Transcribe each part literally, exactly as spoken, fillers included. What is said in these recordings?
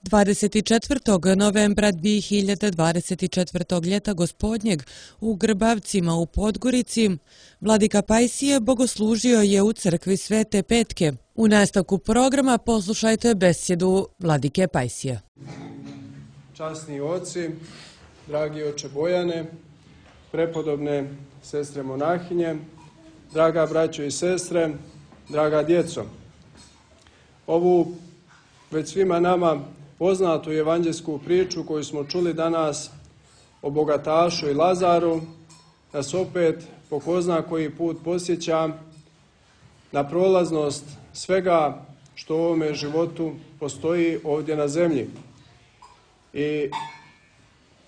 dvadeset četvrtog novembra dvije hiljade dvadeset četvrtog ljeta gospodnjeg u Grbavcima u Podgorici, vladika Pajsije bogoslužio je u crkvi Svete Petke. U nastavku programa poslušajte besjedu vladike Pajsije. Časni oci, dragi oče Bojane, prepodobne sestre monahinje, draga braćo i sestre, draga djeco. Ovu već svima nama poznatu evanđelsku priču koju smo čuli danas o bogatašu i Lazaru nas opet po ko zna koji put podsjeća na prolaznost svega što u ovome životu postoji ovdje na zemlji. I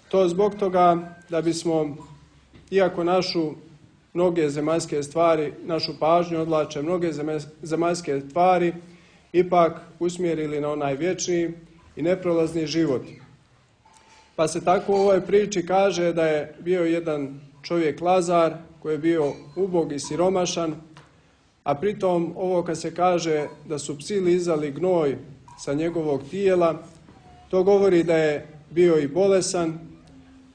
to zbog toga da bismo, iako našu mnoge zemaljske stvari, našu pažnju odlače mnoge zemaljske stvari, ipak usmjerili na onaj vječni i neprolazni život. Pa se tako u ovoj priči kaže da je bio jedan čovjek Lazar koji je bio ubog i siromašan, a pritom ovo kad se kaže da su psi lizali gnoj sa njegovog tijela, to govori da je bio i bolesan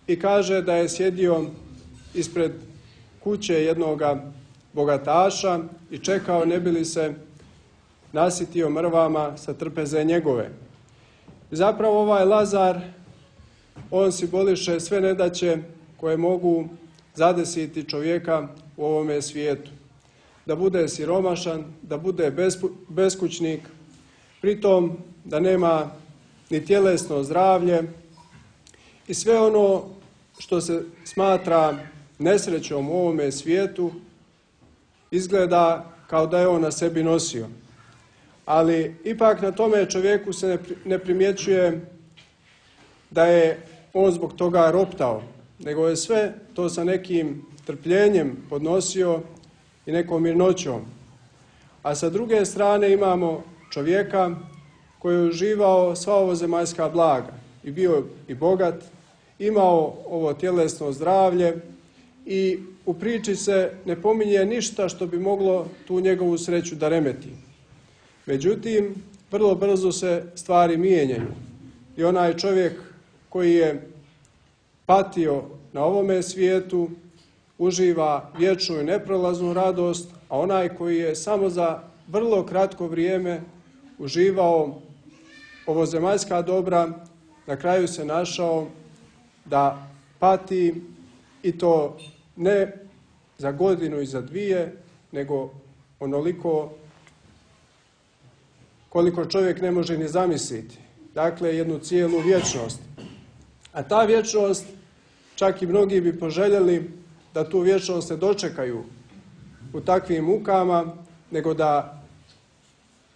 i kaže da je sjedio ispred kuće jednoga bogataša i čekao ne bi li se nasitio mrvama sa trpeze njegove. Zapravo ovaj Lazar, on simboliše sve nedaće koje mogu zadesiti čovjeka u ovome svijetu. Da bude siromašan, da bude beskućnik, pritom da nema ni tjelesno zdravlje i sve ono što se smatra nesrećom u ovome svijetu izgleda kao da je on na sebi nosio. Ali ipak na tome čovjeku se ne primjećuje da je on zbog toga roptao, nego je sve to sa nekim trpljenjem podnosio i nekom mirnoćom. A sa druge strane imamo čovjeka koji je uživao sva ovo zemaljska blaga i bio i bogat, imao ovo tjelesno zdravlje i u priči se ne pominje ništa što bi moglo tu njegovu sreću da remeti. Međutim, vrlo brzo se stvari mijenjaju i onaj čovjek koji je patio na ovome svijetu uživa vječnu i neprolaznu radost, a onaj koji je samo za vrlo kratko vrijeme uživao ovo zemaljska dobra, na kraju se našao da pati i to ne za godinu i za dvije, nego onoliko koliko čovjek ne može ni zamisliti. Dakle, jednu cijelu vječnost. A ta vječnost, čak i mnogi bi poželjeli da tu vječnost se dočekaju u takvim mukama, nego da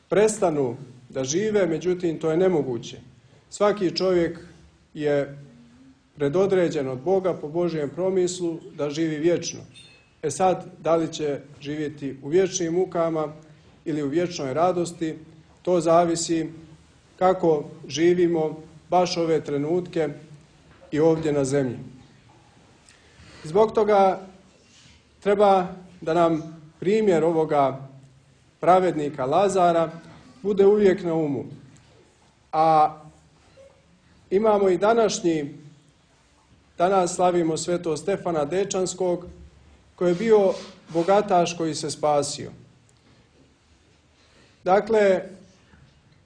prestanu da žive, međutim to je nemoguće. Svaki čovjek je predodređen od Boga po Božjem promislu da živi vječno. E sad, da li će živjeti u vječnim mukama ili u vječnoj radosti, to zavisi kako živimo baš ove trenutke i ovdje na zemlji. Zbog toga treba da nam primjer ovoga pravednika Lazara bude uvijek na umu. A imamo i današnji, danas slavimo svetog Stefana Dečanskog, koji je bio bogataš koji se spasio. Dakle,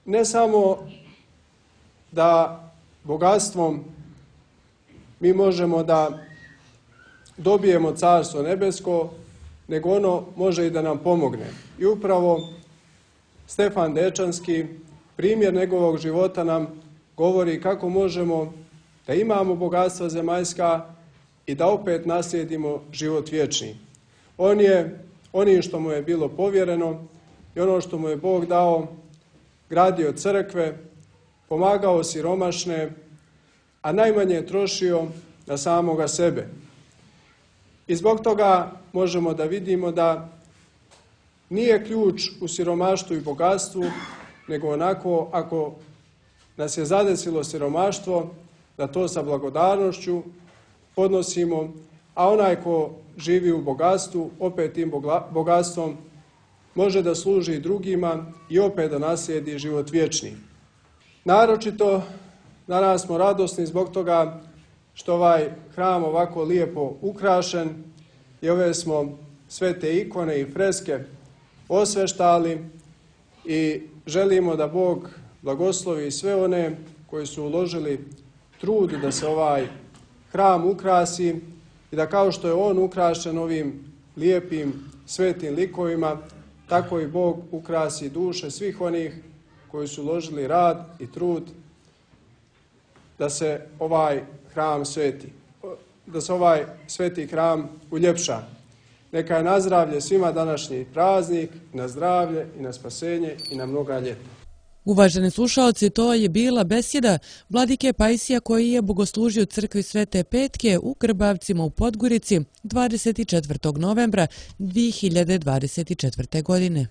ne samo da bogatstvom mi možemo da dobijemo carstvo nebesko, nego ono može i da nam pomogne. I upravo Stefan Dečanski, primjer njegovog života nam govori kako možemo da imamo bogatstva zemaljska i da opet naslijedimo život vječni. On je onim što mu je bilo povjereno i ono što mu je Bog dao, gradio crkve, pomagao siromašne, a najmanje je trošio na samoga sebe. I zbog toga možemo da vidimo da nije ključ u siromaštvu i bogatstvu, nego onako ako nas je zadesilo siromaštvo, da to sa blagodarnošću podnosimo, a onaj ko živi u bogatstvu, opet tim bogatstvom može da služi drugima i opet da naslijedi život vječni. Naročito danas smo radosni zbog toga što ovaj hram ovako lijepo ukrašen i ove smo sve te ikone i freske osveštali i želimo da Bog blagoslovi sve one koji su uložili trud da se ovaj hram ukrasi i da kao što je on ukrašen ovim lijepim svetim likovima, tako i Bog ukrasi duše svih onih koji su uložili rad i trud da se ovaj hram sveti, da se ovaj sveti hram uljepša. Neka je na zdravlje svima današnji praznik, na zdravlje i na spasenje i na mnoga ljeta. Uvaženi slušaoci, to je bila besjeda vladike Pajsija koji je bogoslužio u crkvi Svete Petke u Grbavcima u Podgorici dvadeset četvrtog novembra dvije hiljade dvadeset četvrte. godine.